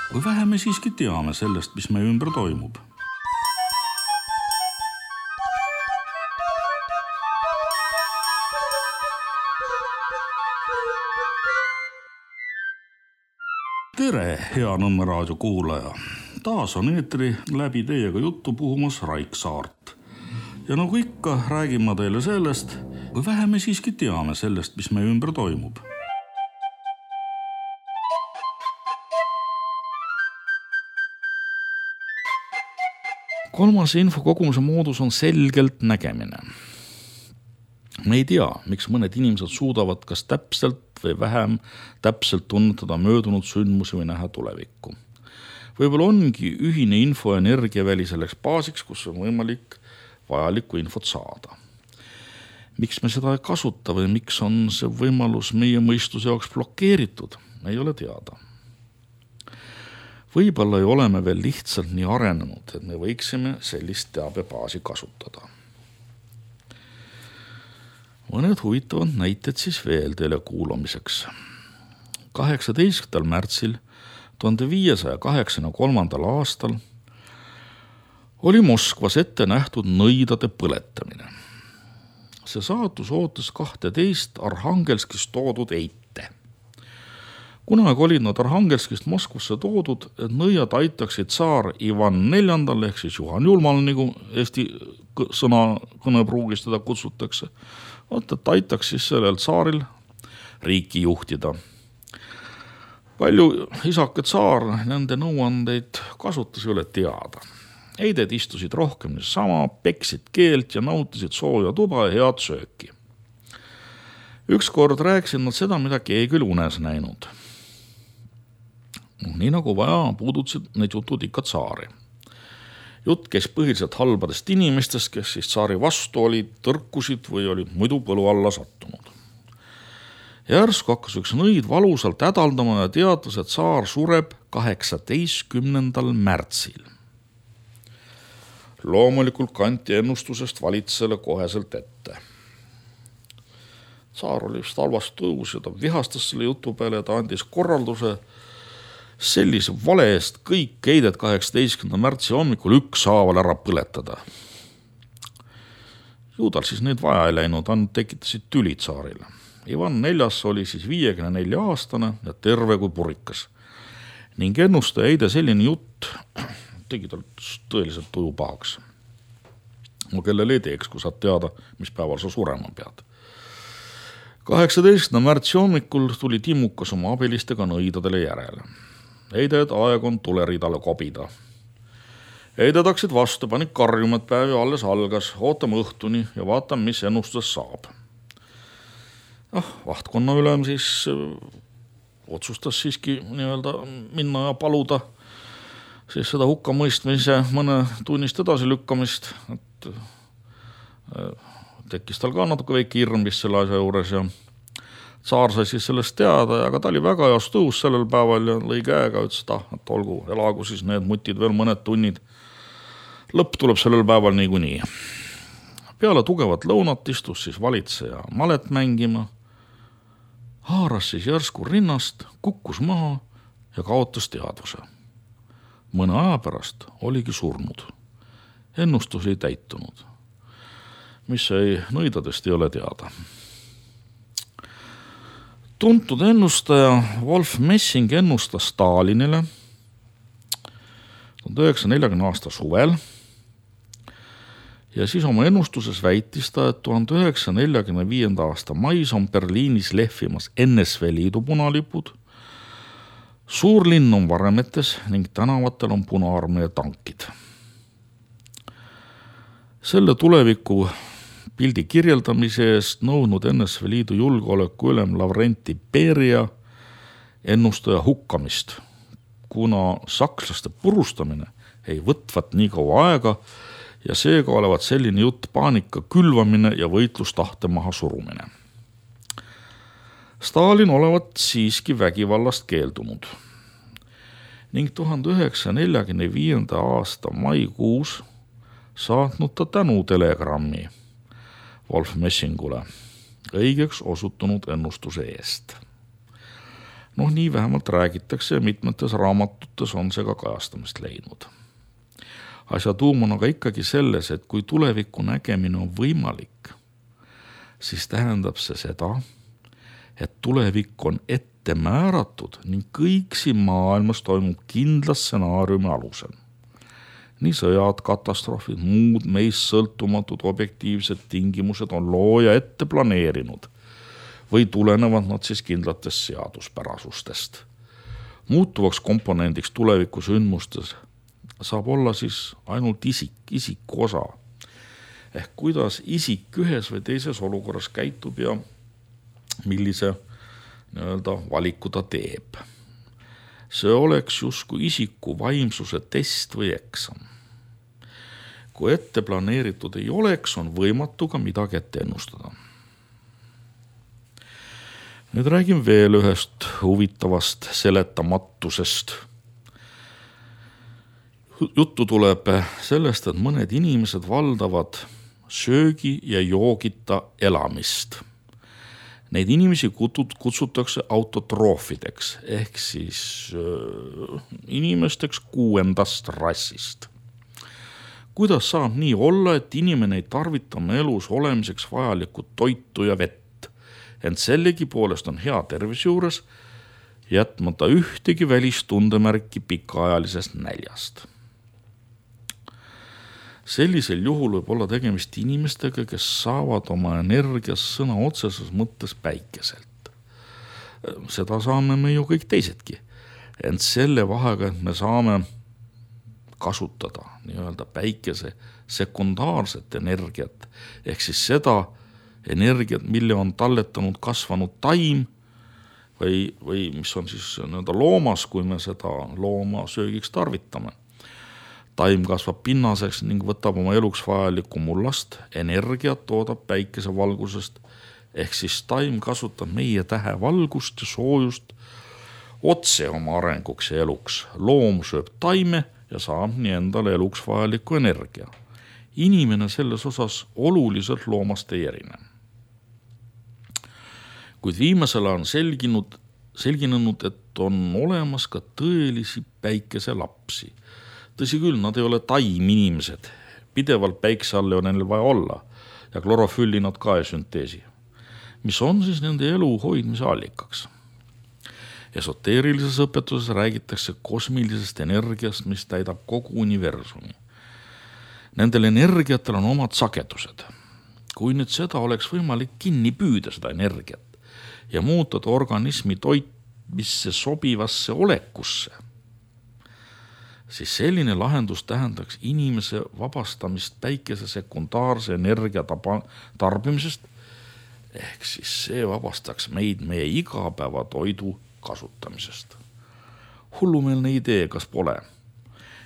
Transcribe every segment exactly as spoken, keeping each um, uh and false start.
Või vähe me siiski teame sellest, mis meie ümber toimub. Tere, hea Nõmme raadio kuulaja! Taas on eetri läbi teiega juttu puhumas Raik Saart. Ja nagu ikka, räägin ma teile sellest, või vähe me siiski teame sellest, mis meie ümber toimub. Kolmas infokogumise moodus on selgelt nägemine. Me ei tea, miks mõned inimesed suudavad kas täpselt või vähem täpselt tunnetada möödunud sündmusi või näha tulevikku. Võib-olla ongi ühine info ja energiaväli selleks baasiks, kus on võimalik vajalikku infot saada. Miks me seda ei kasuta või miks on see võimalus meie mõistuse jaoks blokeeritud, ei ole teada. Võib-olla ei ole me veel lihtsalt nii arenenud, et me võiksime sellist teabebaasi kasutada. Mõned huvitavad näited siis veel teile kuulamiseks. kaheksateistkümnendal märtsil tuhande viiesaja kaheksakümne kolmandal aastal oli Moskvas ette nähtud nõidade põletamine. See saatus ootas kahteteist Arhangelskist toodud eite. Kunagi olid nad Arhangelskist Moskvasse toodud, et nõiad aitaksid tsaar Ivan neljandal ehk siis Juhan Julmal, nagu Eesti sõna kõnepruugis teda kutsutakse, oot, et aitaks siis sellel tsaaril riiki juhtida. Palju isake tsaar nende nõuandeid kasutas ei ole teada. Eided istusid rohkem sama, peksid keelt ja nautisid sooja tuba ja head sööki. Ükskord rääkisid nad seda, mida keegi oli unes näinud. Nii nagu vaja, puudutasid need jutud ikka tsaari. Jutt käis põhiliselt halbadest inimestest, kes siis tsaari vastu olid, tõrkusid või olid muidu põlu alla sattunud. Järsku hakkas üks nõid valusalt hädaldama ja teatas, et tsaar sureb kaheksateistkümnendal märtsil. Loomulikult kanti ennustusest valitsele koheselt ette. Tsaar oli vist halvast tõus ja ta vihastas selle jutu peale ja ta andis korralduse sellise vale eest kõik eided kaheksateistkümnenda märtsi hommikul üks haaval ära põletada. Juudal siis neid vaja ei läinud, ainult tekitasid tüli tsaarile. Ivan neljas oli siis viiekümne nelja aastane ja terve kui purikas. Ning ennustaja eide selline jutt tegi tal tõeliselt tuju pahaks. No kellel ei teeks, kui saad teada, mis päeval sa surema pead. kaheksateistkümnenda märtsi hommikul tuli Timmukas oma abilistega nõidadele järele. Eided aeg on tuleridale kobida. Eided hakkasid vastu, panid karjuma, et päev alles algas, ootame õhtuni ja vaatame, mis ennustus saab. Ah, vahtkonna ülem siis otsustas siiski nii-öelda minna ja paluda siis seda hukkamõistmise mõne tunnist edasi lükkamist, et tekkis tal ka natuke väike hirm vist selle asja juures ja tsaar sai siis sellest teada, aga ta oli väga heas tõus sellel päeval ja lõi käega, ütles, et, ah, et olgu, elagu siis need mutid veel mõned tunnid. Lõpp tuleb sellel päeval niikuinii. Peale tugevat lõunat istus siis valitseja malet mängima, haaras siis järsku rinnast, kukkus maha ja kaotas teadvuse. Mõne aja pärast oligi surnud. Ennustus ei täitunud. Mis ei nõidadest ei ole teada. Tuntud ennustaja Wolf Messing ennustas Stalinile tuhande üheksasaja neljakümnenda aasta suvel ja siis oma ennustuses väitis ta, et tuhande üheksasaja neljakümne viienda aasta mais on Berliinis lehvimas N S V Liidu punalipud, suurlinn on varemetes ning tänavatel on Punaarmee tankid. Selle tuleviku pildi kirjeldamise eest nõudnud N S V Liidu julgeoleku ülem Lavrenti Beria ennustaja hukkamist, kuna sakslaste purustamine ei võtvat nii kaua aega ja seega olevat selline jutt paanika külvamine ja võitlustahte maha surumine. Stalin olevat siiski vägivallast keeldunud ning tuhande üheksasaja neljakümne viienda aasta maikuus saatnud ta tänu telegrammi Wolf Messingule õigeks osutunud ennustuse eest. Noh, nii vähemalt räägitakse ja mitmetes raamatutes on see ka kajastamist leidnud. Asja tuum on aga ikkagi selles, et kui tuleviku nägemine on võimalik, siis tähendab see seda, et tulevik on ette määratud ning kõik siin maailmas toimub kindla stsenaariumi alusel. Nii sõjad, katastroofid, muud meist sõltumatud objektiivsed tingimused on looja ette planeerinud või tulenevad nad siis kindlatest seaduspärasustest. Muutuvaks komponendiks tuleviku sündmustes saab olla siis ainult isik, isiku osa. Ehk kuidas isik ühes või teises olukorras käitub ja millise nii-öelda valiku ta teeb. See oleks justkui isiku vaimsuse test või eksam. Kui ette planeeritud ei oleks, on võimatu ka midagi ette ennustada. Nüüd räägin veel ühest huvitavast seletamatusest. Juttu tuleb sellest, et mõned inimesed valdavad söögi ja joogita elamist. Neid inimesi kutsutakse autotroofideks ehk siis äh, inimesteks kuuendast rassist. Kuidas saab nii olla, et inimene ei tarvita oma elus olemiseks vajalikku toitu ja vett, ent sellegi poolest on hea tervis juures, jätmata ühtegi välistundemärki pikaajalisest näljast. Sellisel juhul võib olla tegemist inimestega, kes saavad oma energias sõna otseses mõttes päikeselt. Seda saame me ju kõik teisedki. Ent selle vahega, et me saame kasutada nii-öelda päikese sekundaarset energiat, ehk siis seda energiat, mille on talletanud kasvanud taim või, või mis on siis nii-öelda loomas, kui me seda looma söögiks tarvitame. Taim kasvab pinnaseks ning võtab oma eluks vajalikku mullast, energiat toodab päikese valgusest, ehk siis taim kasutab meie tähe valgust ja soojust otse oma arenguks ja eluks. Loom sööb taime ja saab nii endale eluks vajalikku energia. Inimene selles osas oluliselt loomast ei erine. Kuid viimasel on selginud, selginenud, et on olemas ka tõelisi päikese lapsi. Tõsi küll, nad ei ole taim-inimesed. Pidevalt päikse all ei ole neil vaja olla ja klorofülli nad ka ei sünteesi, mis on siis nende elu hoidmise allikaks. Esoteerilises õpetuses räägitakse kosmilisest energiast, mis täidab kogu universumi. Nendel energiatel on omad sagedused. Kui nüüd seda oleks võimalik kinni püüda seda energiat ja muutada organismi toitmisse sobivasse olekusse, siis selline lahendus tähendaks inimese vabastamist päikese sekundaarse energia taba, tarbimisest, ehk siis see vabastaks meid meie igapäeva toidu kasutamisest. Hullumeelne idee, kas pole?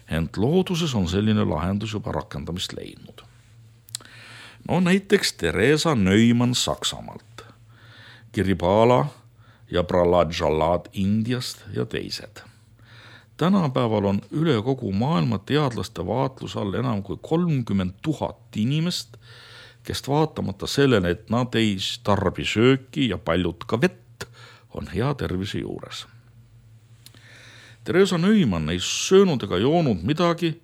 Ent looduses on selline lahendus juba rakendamist leidnud. No näiteks Theresa Neumann Saksamaalt, Kiribala ja Prahlad Jalad Indiast ja teised. Tänapäeval on üle kogu maailma teadlaste vaatluse all enam kui kolmkümmend tuhat inimest, kes vaatamata sellele, et nad ei tarbi sööki ja paljud ka vett, on hea tervise juures. Theresa Neumann ei söönud ega joonud midagi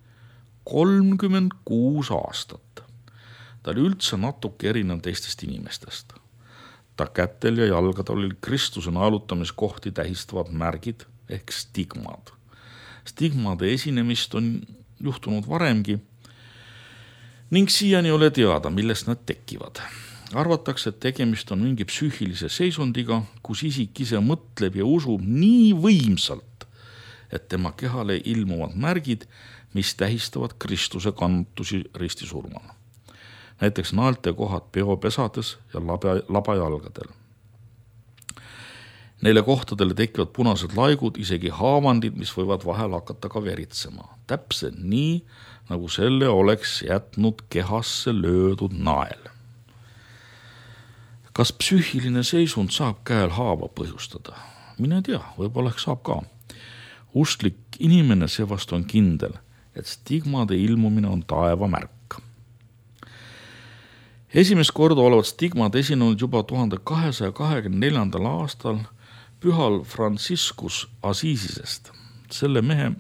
kolmkümmend kuus aastat. Ta oli üldse natuke erinev teistest inimestest. Ta kätel ja jalgadel oli Kristuse naelutamiskohti tähistavad märgid ehk stigmad. Stigmade esinemist on juhtunud varemgi ning siiani ei ole teada, millest nad tekivad. Arvatakse, et tegemist on mingi psüühilise seisundiga, kus isik ise mõtleb ja usub nii võimsalt, et tema kehale ilmuvad märgid, mis tähistavad Kristuse kantusi ristisurmana. Näiteks naelte kohad peopesades ja laba, labajalgadel. Neile kohtadele tekivad punased laigud, isegi haavandid, mis võivad vahel hakata ka veritsema. Täpselt nii, nagu selle oleks jätnud kehasse löödud nael. Kas psüühiline seisund saab käel haava põhjustada? Mine tea, võib-olla saab ka. Usklik inimene seevast on kindel, et stigmade ilmumine on taeva märk. Esimest korda olevat stigmad esinenud juba tuhande kahesaja kahekümne neljandal aastal, pühal Franciscus Assisisest. Selle mehe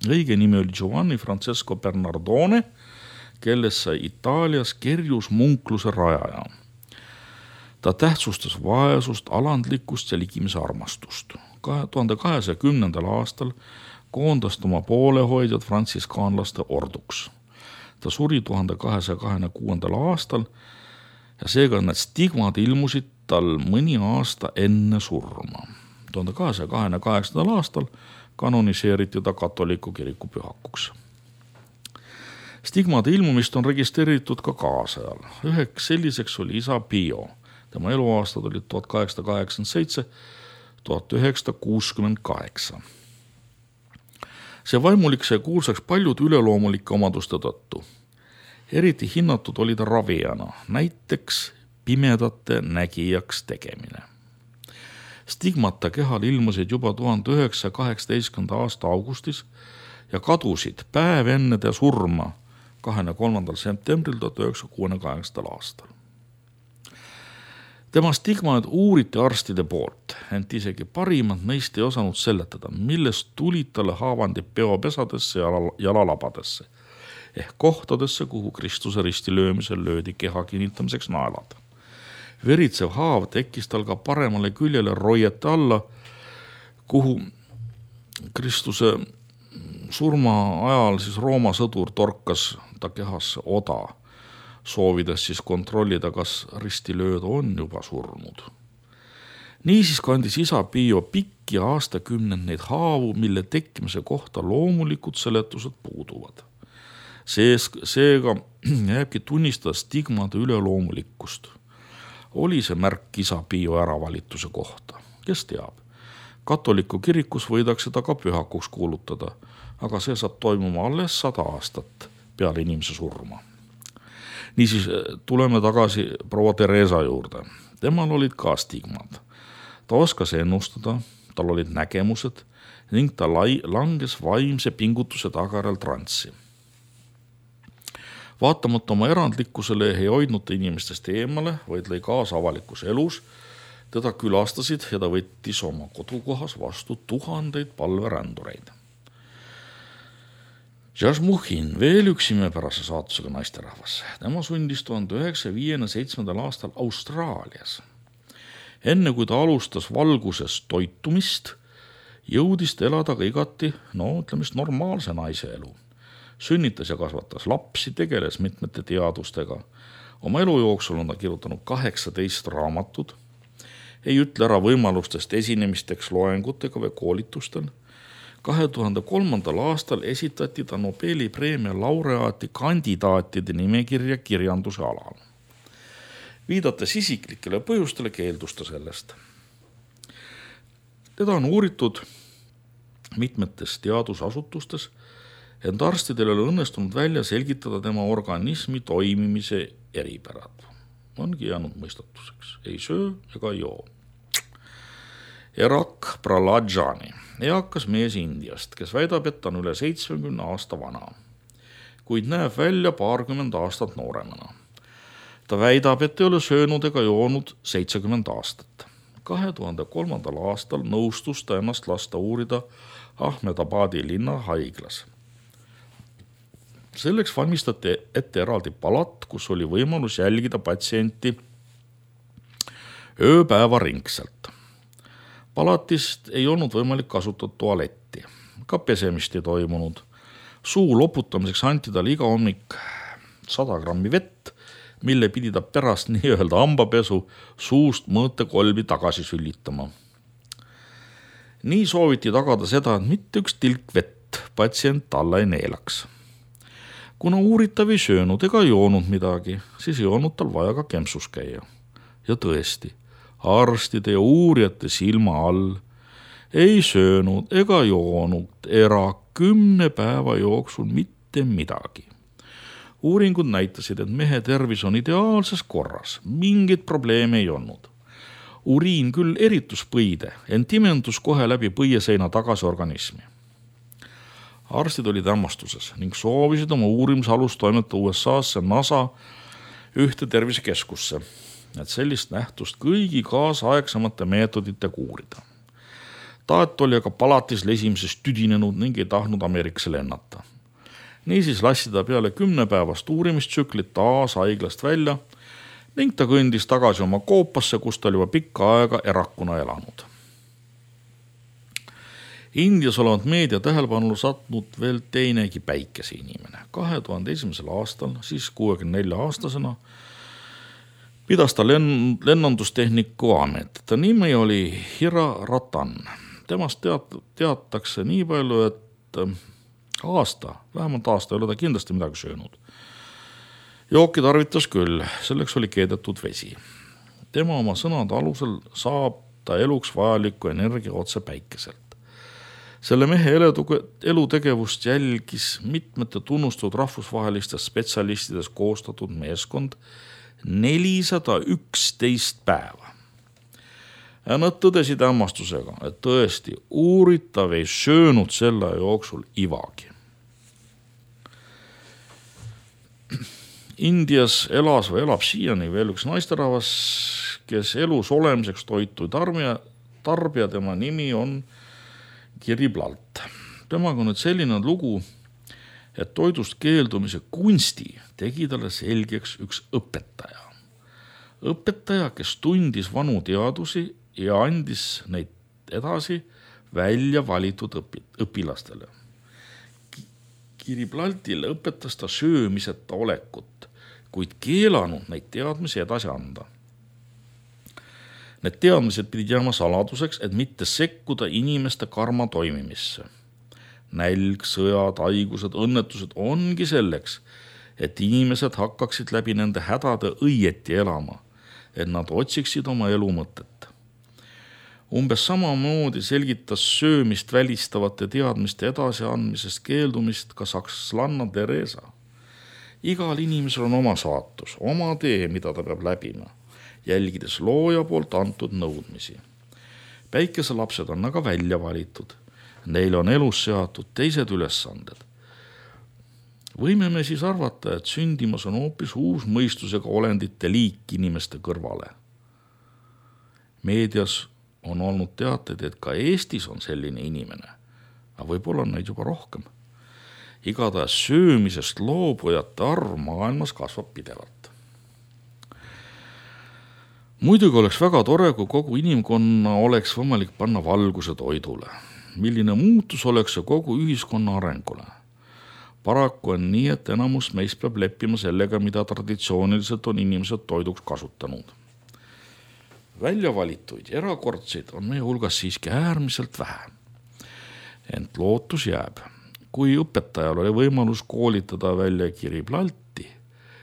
õige nimi oli Giovanni Francesco Bernardone, kellest sai Itaalias kerjusmunkluse rajaja. Ta tähtsustas vaesust, alandlikkust ja ligimise armastust. tuhande kahesaja kümnendal aastal koondas oma poolehoidjad frantsiskaanlaste orduks. Ta suri tuhande kahesaja kahekümne kuuendal aastal ja seega need stigmad ilmusid tal mõni aasta enne surma. tuhande kahesaja kahekümne kaheksandal aastal kanoniseeriti ta katoliku kiriku pühakuks. Stigmade ilmumist on registreeritud ka kaasajal. Üheks selliseks oli isa Pio. Tema eluaastad olid tuhat kaheksasada kaheksakümmend seitse tuhat üheksasada kuuskümmend kaheksa. See vaimulik sai kuulsaks paljud üleloomulike omaduste tõttu. Eriti hinnatud oli ta ravijana, näiteks pimedate nägijaks tegemine. Stigmata kehal ilmusid juba tuhande üheksasaja kaheksateistkümnenda aasta augustis ja kadusid päev enne ta surma kahekümne kolmandal septembril tuhat üheksasada kuuekümne kaheksandal aastal. Tema stigmaid uuriti arstide poolt, ent isegi parimad neist ei osanud seletada, millest tulid talle haavandid peopesadesse ja jalalabadesse ehk kohtadesse, kuhu Kristuse risti löömisel löödi keha kinnitamiseks naelad. Veritsev haav tekkis tal ka paremale küljele roiete alla, kuhu Kristuse surma ajal siis Rooma sõdur torkas ta kehasse oda, soovides siis kontrollida, kas ristilööd on juba surnud. Niisiis kandis isa Pio pikki aastakümneid neid haavu, mille tekkimise kohta loomulikud seletused puuduvad. Seega jääbki tunnistada stigmade üleloomulikkust. Oli see märk isa Pio äravalituse kohta, kes teab. Katoliku kirikus võidakse ta ka pühakuks kuulutada, aga see saab toimuma alles sada aastat peale inimese surma. Niisiis tuleme tagasi proua Teresa juurde. Temal olid ka stigmad. Ta oskas ennustada, tal olid nägemused ning ta lai, langes vaimse pingutuse tagajärjel transsi. Vaatamata oma erandlikkusele ei hoidnud ta inimestest eemale, vaid lõi kaasa avalikus elus. Teda külastasid ja ta võttis oma kodukohas vastu tuhandeid palverändureid. Jasmuhin, veel üks imepärase saatusega naisterahvas. Tema sündis tuhande üheksasaja viiekümne seitsmendal aastal Austraalias. Enne kui ta alustas valguses toitumist, jõudis ta elada ka igati, no ütlemist normaalse naise elu. Sünnitas ja kasvatas lapsi, tegeles mitmete teadustega. Oma elu jooksul on ta kirjutanud kaheksateist raamatut. Ei ütle ära võimalustest esinemisteks loengutega või koolitustel. kahe tuhande kolmandal aastal esitati ta Nobeli preemia laureaati kandidaatide nimekirja kirjanduse alal. Viidates isiklikele põhjustele keeldus ta sellest. Teda on uuritud mitmetes teadusasutustes, ent arstidel oli õnnestunud välja selgitada tema organismi toimimise eripärad. Ongi jäänud mõistatuseks. Ei söö ega joo. Erak Pralajani, eakas mees Indiast, kes väidab, et ta on üle seitsmekümne aasta vana, kuid näeb välja paarkümmend aastat nooremana. Ta väidab, et ei ole söönud ega joonud seitsekümmend aastat. kahe tuhande kolmandal aastal nõustus ta ennast lasta uurida Ahmedabadi linna haiglas. Selleks valmistati ette eraldi palat, kus oli võimalus jälgida patsienti ööpäeva ringselt. Palatist ei olnud võimalik kasutada tualetti, ka pesemist ei toimunud. Suu loputamiseks anti talle iga hommik sada grammi vett, mille pidi ta pärast nii-öelda hambapesu suust mõõtekolbi tagasi süllitama. Nii sooviti tagada seda, et mitte üks tilk vett patsient alla ei neelaks. Kuna uuritav ei söönud ega joonud midagi, siis ei olnud tal vaja ka kempsus käia. Ja tõesti, arstide ja uurijate silma all ei söönud ega joonud era kümne päeva jooksul mitte midagi. Uuringud näitasid, et mehe tervis on ideaalses korras, mingit probleeme ei olnud. Uriin küll eritus põide, ent imendus kohe läbi põieseina tagasi organismi. Arstid olid hämmastuses ning soovisid oma uurimisalust toimetada U S A-sse NASA ühte tervisekeskusse, et sellist nähtust kõigi kaasaegsemate meetoditega uurida. Taat oli aga palatis lesimisest tüdinenud ning ei tahtnud Ameerikasse lennata. Niisiis lassi ta peale kümnepäevast uurimistsüklit taas haiglast välja ning ta kõndis tagasi oma koopasse, kus ta oli juba pikka aega erakuna elanud. Indias olevat meedia tähelepanule satnud veel teinegi päikese inimene. kahe tuhande esimesel aastal, siis kuuekümne nelja aastasena, pidas ta lenn, lennandustehniku amet. Ta nimi oli Hira Ratan. Temast teat, teatakse nii palju, et aasta, vähemalt aasta ei ole ta kindlasti midagi söönud. Jooki tarvitas küll, selleks oli keedetud vesi. Tema oma sõnade alusel saab ta eluks vajalikku energia otse päikeselt. Selle mehe elutegevust jälgis mitmete tunnustatud rahvusvahelistest spetsialistidest koostatud meeskond nelisada üksteist päeva. Ja nad tõdesid hämmastusega, et tõesti uuritav ei söönud selle jooksul ivagi. Indias elas või elab siiani veel üks naisterahvas, kes elus olemiseks toitu tarbija, tarbija tema nimi on Kiribalt. Temaga on nüüd selline lugu, et toidust keeldumise kunsti tegi talle selgeks üks õpetaja. Õpetaja, kes tundis vanu teadusi ja andis neid edasi välja valitud õpi, õpilastele. Kiriblaltile õpetas ta söömiseta olekut, kuid keelanud neid teadmisi edasi anda. Need teadmised pidid jääma saladuseks, et mitte sekkuda inimeste karma toimimisse. Nälg, sõjad, haigused, õnnetused ongi selleks, et inimesed hakkaksid läbi nende hädade õieti elama, et nad otsiksid oma elu mõtet. Umbes samamoodi selgitas söömist välistavate teadmiste edasiandmisest keeldumist ka sakslanna Teresa. Igal inimesel on oma saatus, oma tee, mida ta peab läbima, jälgides looja poolt antud nõudmisi. Päikeselapsed on aga välja valitud. Neil on elus seatud teised ülesanded. Võime me siis arvata, et sündimas on hoopis uus mõistusega olendite liik inimeste kõrvale. Meedias on olnud teateid, et ka Eestis on selline inimene, aga võib-olla on neid juba rohkem. Igatahes söömisest loobujate arv maailmas kasvab pidevalt. Muidugi oleks väga tore, kui kogu inimkonna oleks võimalik panna valguse toidule. Milline muutus oleks see kogu ühiskonna arengule? Paraku on nii, et enamus meist peab leppima sellega, mida traditsiooniliselt on inimesed toiduks kasutanud. Väljavalituid erakordseid on meie hulgas siiski äärmiselt vähe. Ent lootus jääb. Kui õpetajal oli võimalus koolitada välja Kiriblalti,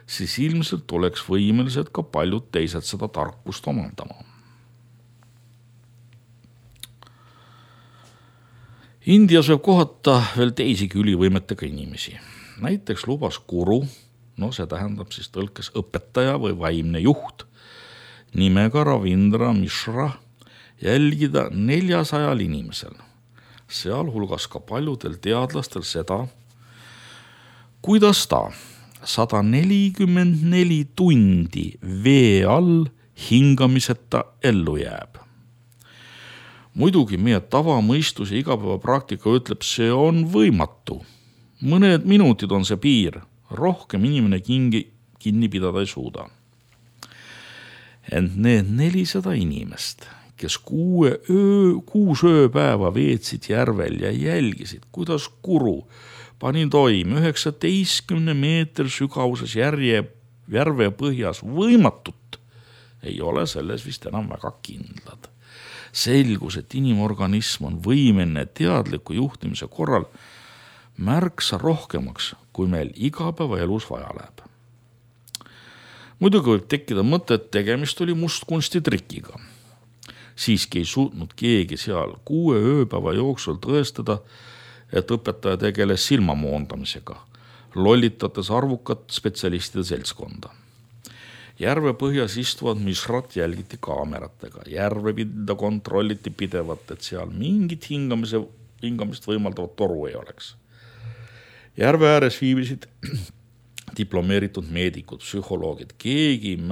siis ilmselt oleks võimelised ka paljud teised seda tarkust omandama. Indias võib kohata veel teisigi ülivõimetega inimesi. Näiteks lubas guru, no see tähendab siis tõlkes õpetaja või vaimne juht, nimega Ravindra Mishra jälgida neljasajal inimesel, sealhulgas ka paljudel teadlastel seda, kuidas ta sada nelikümmend neli tundi vee all hingamiseta ellu jääb. Muidugi meie tavamõistus ja igapäevapraktika ütleb, see on võimatu. Mõned minutid on see piir, rohkem inimene kingi, kinni pidada ei suuda. Ent need nelisada inimest, kes kuue öö, kuus ööpäeva veetsid järvel ja jälgisid, kuidas guru pani toim üheksateistkümne meeter sügavuses järje, järve põhjas võimatut, ei ole selles vist enam väga kindlad. Selgus, et inimorganism on võimeline teadliku juhtimise korral märksa rohkemaks, kui meil igapäevaelus vaja läheb. Muidugi võib tekkida mõte, et tegemist oli mustkunsti trikiga. Siiski ei suutnud keegi seal kuue ööpäeva jooksul tõestada, et õpetaja tegeles silmamoondamisega, lollitates arvukat spetsialistide seltskonda. Järve põhjas istuvad Mishrat jälgiti kaameratega. Järve pinda kontrolliti pidevalt, et seal mingit hingamise, hingamist võimaldavat toru ei oleks. Järve ääres viibisid diplomeeritud meedikud, psühholoogid. Keegi ei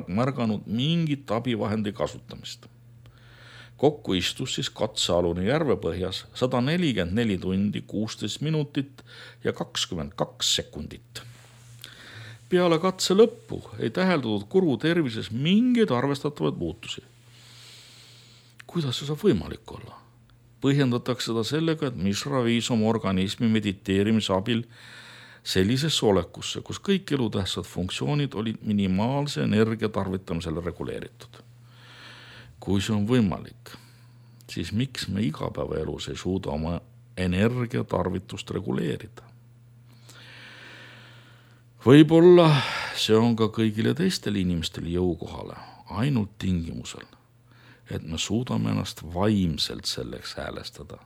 märganud mingit abivahendi kasutamist. Kokku istus siis katsealune Järvepõhjas sada nelikümmend neli tundi, kuusteist minutit ja kakskümmend kaks sekundit. Peale katse lõppu ei täheldatud Kuru tervises mingeid arvestatavaid muutusi. Kuidas see saab võimalik olla? Põhjendatakse seda sellega, et Mishra viis oma organismi mediteerimise abil sellisesse olekusse, kus kõik elutähtsad funktsioonid olid minimaalse energia tarvitamisele reguleeritud. Kui see on võimalik, siis miks me igapäevaelus ei suuda oma energiatarvitust reguleerida? Võib-olla see on ka kõigile teistele inimestele jõukohale, ainult tingimusel, et me suudame ennast vaimselt selleks häälestada.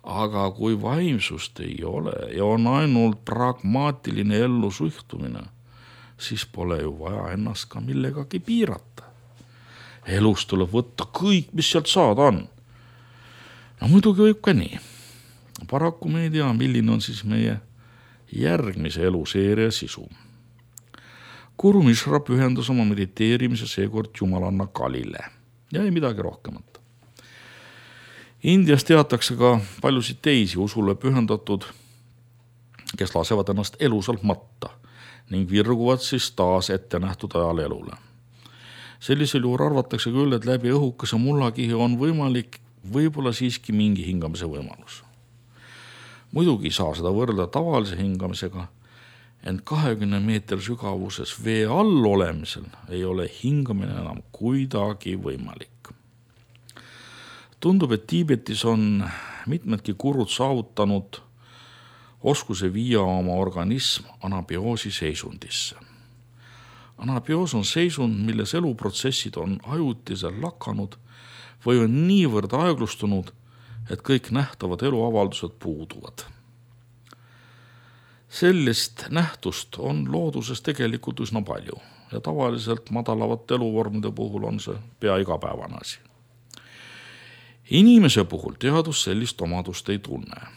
Aga kui vaimsust ei ole ja on ainult pragmaatiline ellu suhtumine, siis pole ju vaja ennast ka millegagi piirata. Elus tuleb võtta kõik, mis sealt saada on. No muidugi võib ka nii. Paraku me ei tea, milline on siis meie järgmise eluseeria sisu. Guru Mishra pühendas oma mediteerimise seekord jumalanna Kalile ja ei midagi rohkemat. Indias teatakse ka paljusid teisi usule pühendatud, kes lasevad ennast elusalt matta ning virguvad siis taas ette nähtud ajal elule. Sellisel juhul arvatakse küll, et läbi õhukese mullakihi on võimalik võib-olla siiski mingi hingamise võimalus. Muidugi ei saa seda võrrelda tavalise hingamisega, ent kahekümne meetri sügavuses vee all olemisel ei ole hingamine enam kuidagi võimalik. Tundub, et Tiibetis on mitmedki gurud saavutanud oskuse viia oma organism anabioosi seisundisse. Anabioos on seisund, milles eluprotsessid on ajutiselt lakanud või on niivõrd aeglustunud, et kõik nähtavad eluavaldused puuduvad. Sellist nähtust on looduses tegelikult üsna palju ja tavaliselt madalavate eluvormide puhul on see pea igapäevane asi. Inimese puhul teadus sellist omadust ei tunne.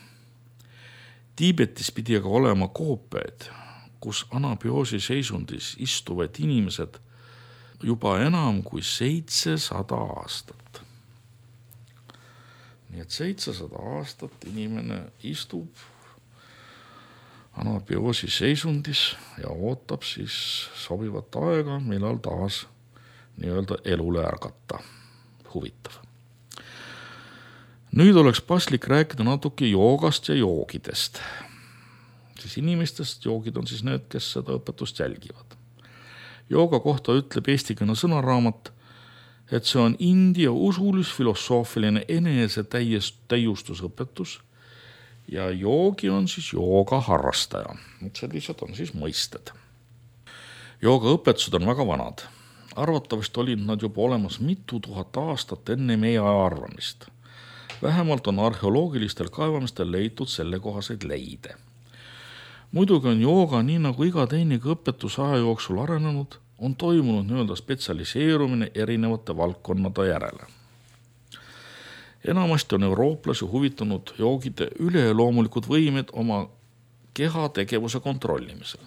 Tiibetis pidi aga olema koopiaid, kus anabioosi seisundis istuvad inimesed juba enam kui seitsesada aastat. Nii et seitsesada aastat inimene istub anabioosi seisundis ja ootab siis sobivat aega, millal taas nii-öelda elule ärgata. Huvitav. Nüüd oleks paslik rääkida natuke joogast ja joogidest. Siis inimestest joogid on siis need, kes seda õpetust jälgivad. Jooga kohta ütleb eestikene sõnaraamat, et see on India usulis-filosoofiline enese täiustusõpetus ja joogi on siis jooga harrastaja. Sellised on siis mõisted. Jooga õpetused on väga vanad. Arvatavasti olid nad juba olemas mitu tuhat aastat enne meie arvamist. Vähemalt on arheoloogilistel kaevamistel leitud sellekohaseid leide. Muidugi on jooga nii nagu iga teinegi õpetuse aja jooksul arenenud, on toimunud nii-öelda spetsialiseerumine erinevate valdkonnade järele. Enamasti on eurooplasi huvitanud joogide üleloomulikud võimed oma keha tegevuse kontrollimisel.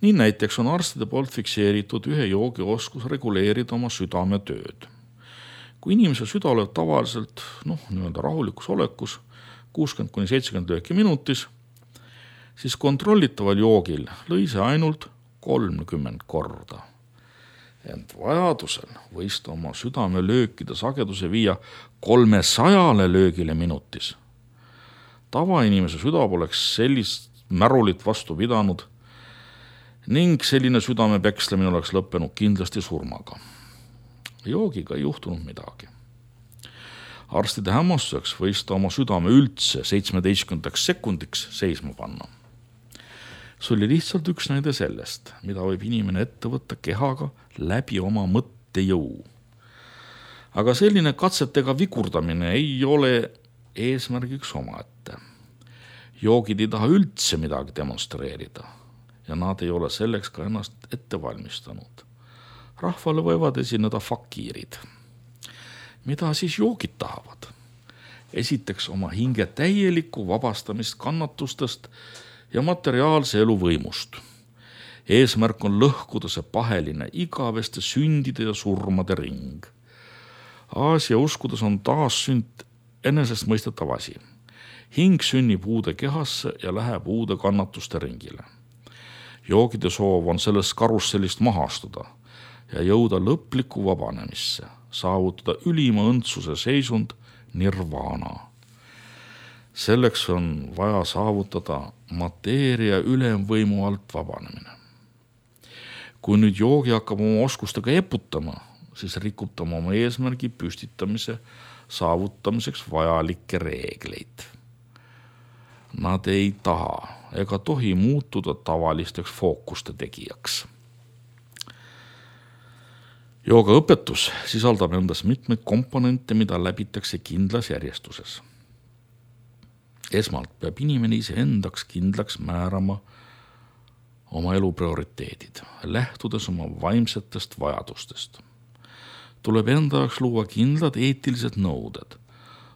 Nii näiteks on arstide poolt fikseeritud ühe joogi oskus reguleerida oma südame tööd. Kui inimese süda oleb tavaliselt noh, nii-öelda rahulikus olekus kuuskümmend kuni seitsekümmend lööki minutis, siis kontrollitaval joogil lõi see ainult kolmkümmend korda. Ent vajadusel võis ta oma südame löökide sageduse viia kolmesajale löögile minutis. Tavainimese süda poleks sellist märulit vastu pidanud ning selline südame pekslemine oleks lõppenud kindlasti surmaga. Joogiga ei juhtunud midagi. Arstide hämmastuseks võis ta oma südame üldse seitsmeteistkümnendaks sekundiks seisma panna. See oli lihtsalt üks näide sellest, mida võib inimene ette võtta kehaga läbi oma mõttejõu. Aga selline katsetega vigurdamine ei ole eesmärgiks omaette. Joogid ei taha üldse midagi demonstreerida ja nad ei ole selleks ka ennast ette valmistanud. Rahvale võivad esineda fakiirid. Mida siis joogid tahavad? Esiteks oma hinge täielikku vabastamist kannatustest ja materiaalse elu võimust. Eesmärk on lõhkuda see paheline igaveste sündide ja surmade ring. Aasia uskudes on taassünd enesest mõistetav asi. Hing sünnib uude kehasse ja läheb uude kannatuste ringile. Joogide soov on sellest karussellist maha astuda ja jõuda lõpliku vabanemisse, saavutada ülima õndsuse seisund nirvana. Selleks on vaja saavutada mateeria ülemvõimu alt vabanemine. Kui nüüd joogi hakkab oma oskustega eputama, siis rikub ta oma eesmärgi püstitamise saavutamiseks vajalikke reegleid. Nad ei taha ega tohi muutuda tavalisteks fookuste tegijaks. Jooga õpetus sisaldab endas mitmeid komponente, mida läbitakse kindlas järjestuses. Esmalt peab inimene ise endaks kindlaks määrama oma elu prioriteedid, lähtudes oma vaimsetest vajadustest. Tuleb enda jaoks luua kindlad eetilised nõuded,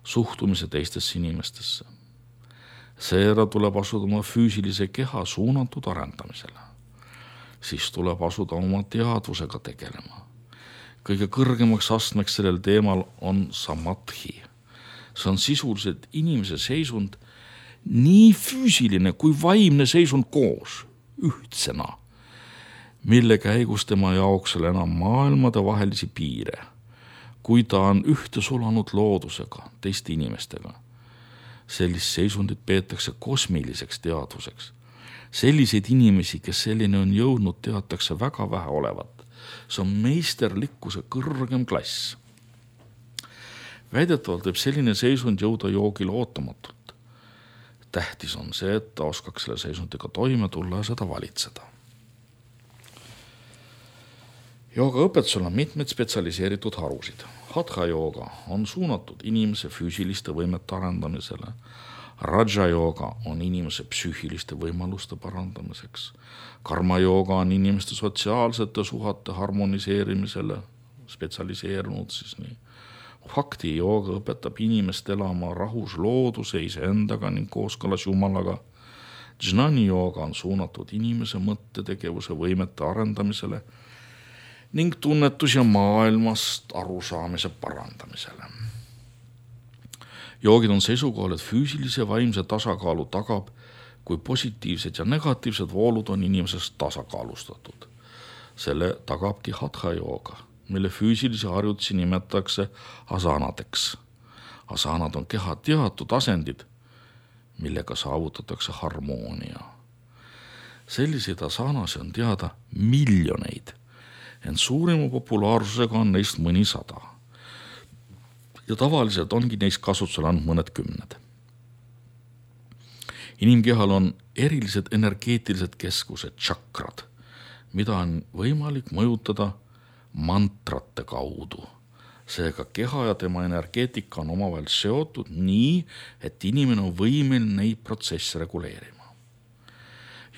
suhtumise teistesse inimestesse. Seera tuleb asuda oma füüsilise keha suunatud arendamisele. Siis tuleb asuda oma teadvusega tegelema. Kõige kõrgemaks astmeks sellel teemal on samadhi. See on sisuliselt inimese seisund, nii füüsiline kui vaimne seisund koos, ühtsena, mille käigus tema jaoksel enam maailmade vahelisi piire, kui ta on ühte sulanud loodusega, teiste inimestega. Sellist seisundit peetakse kosmiliseks teadvuseks. Selliseid inimesi, kes selline on jõudnud, teatakse väga vähe olevat. See on meisterlikkuse kõrgem klass. Väidetavalt võib selline seisund jõuda joogile ootamatult. Tähtis on see, et ta oskaks selle seisundiga toime tulla ja seda valitseda. Jooga õpetusel on mitmed spetsialiseeritud harusid. Hatha jooga on suunatud inimese füüsiliste võimete arendamisele. Raja jooga on inimese psüühiliste võimaluste parandamiseks. Karma jooga on inimeste sotsiaalsete suhete harmoniseerimisele spetsialiseerunud siis nii. Bhakti jooga õpetab inimest elama rahus looduse iseendaga ning kooskõlas Jumalaga. Jnani jooga on suunatud inimese mõttetegevuse võimete arendamisele ning tunnetus- ja maailmast arusaamise parandamisele. Joogid on seisukohal, et füüsilise vaimse tasakaalu tagab, kui positiivsed ja negatiivsed voolud on inimesest tasakaalustatud. Selle tagabki hatha jooga, mille füüsilisi harjutusi nimetatakse asanadeks. Asanad on keha teatud asendid, millega saavutatakse harmoonia. Selliseid asanasi on teada miljoneid, ent suurima populaarsusega on neist mõni sada. Ja tavaliselt ongi neist kasutusel ainult mõned kümned. Inimkehal on erilised energeetilised keskused, tšakrad, mida on võimalik mõjutada mantrate kaudu. Seega keha ja tema energeetika on omavahel seotud nii, et inimene on võimeline neid protsesse reguleerima.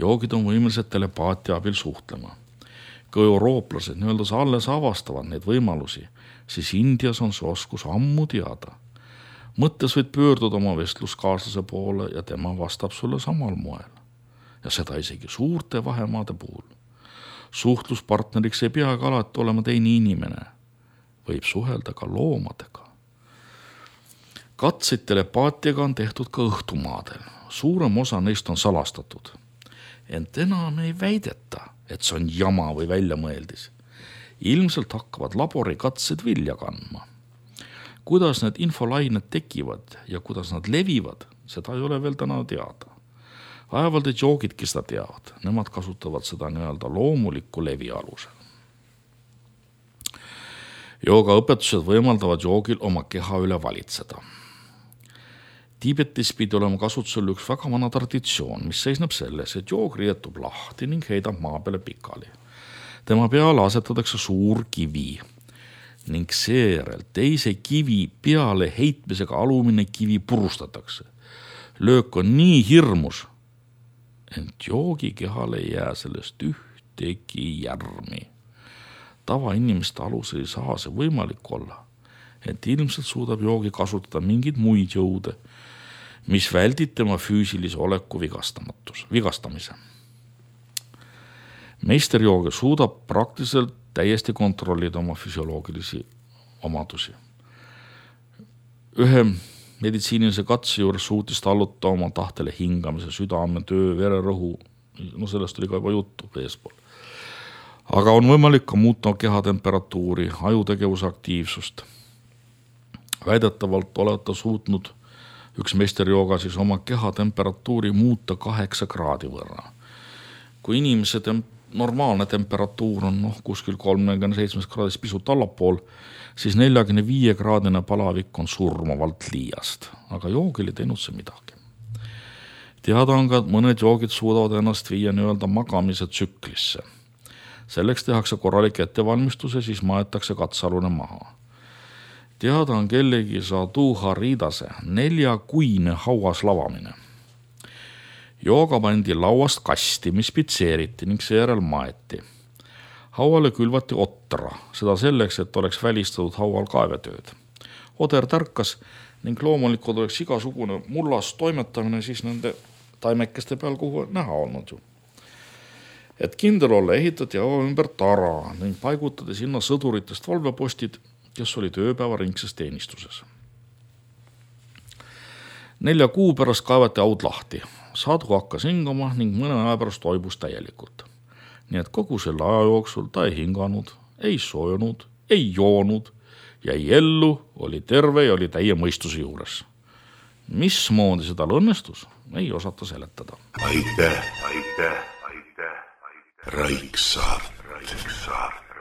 Joogid on võimelised telepaatia abil suhtlema. Kui eurooplased nii-öelda alles avastavad neid võimalusi, siis Indias on see oskus ammu teada. Mõttes võid pöörduda oma vestluskaaslase poole ja tema vastab sulle samal moel. Ja seda isegi suurte vahemaade puhul. Suhtluspartneriks ei peagi alati olema teine inimene. Võib suhelda ka loomadega. Katseid telepaatiaga on tehtud ka õhtumaadel. Suurem osa neist on salastatud. Ent enam ei väideta, et see on jama või väljamõeldis. Ilmselt hakkavad laborikatsed vilja kandma. Kuidas need infolained tekivad ja kuidas nad levivad, seda ei ole veel täna teada. Vaevalt, et joogidki seda teavad. Nemad kasutavad seda nii-öelda loomulikku levi alusel. Jooga õpetused võimaldavad joogil oma keha üle valitseda. Tiibetis pidi olema kasutusel üks väga vana traditsioon, mis seisneb selles, et joog rietub lahti ning heidab maa peale pikali. Tema peale asetatakse suur kivi ning seejärel teise kivi peale heitmisega alumine kivi purustatakse. Löök on nii hirmus, ent joogi kehale ei jää sellest ühtegi järmi. Tavainimeste alus ei saa see võimalik olla, ent ilmselt suudab joogi kasutada mingeid muid jõude, mis väldib tema füüsilise oleku vigastamise. Meisterjoogi suudab praktiliselt täiesti kontrollida oma füsioloogilisi omadusi. ühe meditsiinilise katse juures suutis talluta oma tahtele hingamise, südame, töö, vererõhu, no sellest oli ka juba juttu eespool. Aga on võimalik ka muuta kehatemperatuuri, ajutegevuse aktiivsust. Väidetavalt olete suutnud üks meisterjooga siis oma kehatemperatuuri muuta kaheksa kraadi võrra. Kui inimese tem- normaalne temperatuur on noh, kuskil kolmekümne seitsme kraadis pisut allapool, siis neljakümne viie kraadine palavik on surmavalt liiast, aga joogil ei teinud see midagi. Teada on ka, et mõned joogid suudavad ennast viia nii-öelda magamise tsüklisse. Selleks tehakse korralik ettevalmistus ja siis maetakse katsalune maha. Teada on kellegi Sadhu Haridase neljakuine hauas lavamine. Jooga pandi lauast kasti, mis pitseeriti ning seejärel maeti. Hauale külvati otra, seda selleks, et oleks välistatud haual kaevetööd. Oder tärkas ning loomulikult oleks igasugune mullas toimetamine siis nende taimekeste peal, kuhu näha olnud ju. Et kindel olla, ehitati haua ümber tara ning paigutati sinna sõduritest valvepostid, kes oli tööpäeva ringses teenistuses. Nelja kuu pärast kaevati haud lahti. Sadhu hakkas hingama ning mõne aja pärast toibus täielikult. Nii et kogu selle aja jooksul ta ei hinganud, ei soojunud, ei joonud, jäi ellu, oli terve ja oli täie mõistuse juures. Mismoodi seda õnnestus, ei osata seletada. Aitäh, aitäh, aitäh, aitäh. Raiksaart. Raiksaart.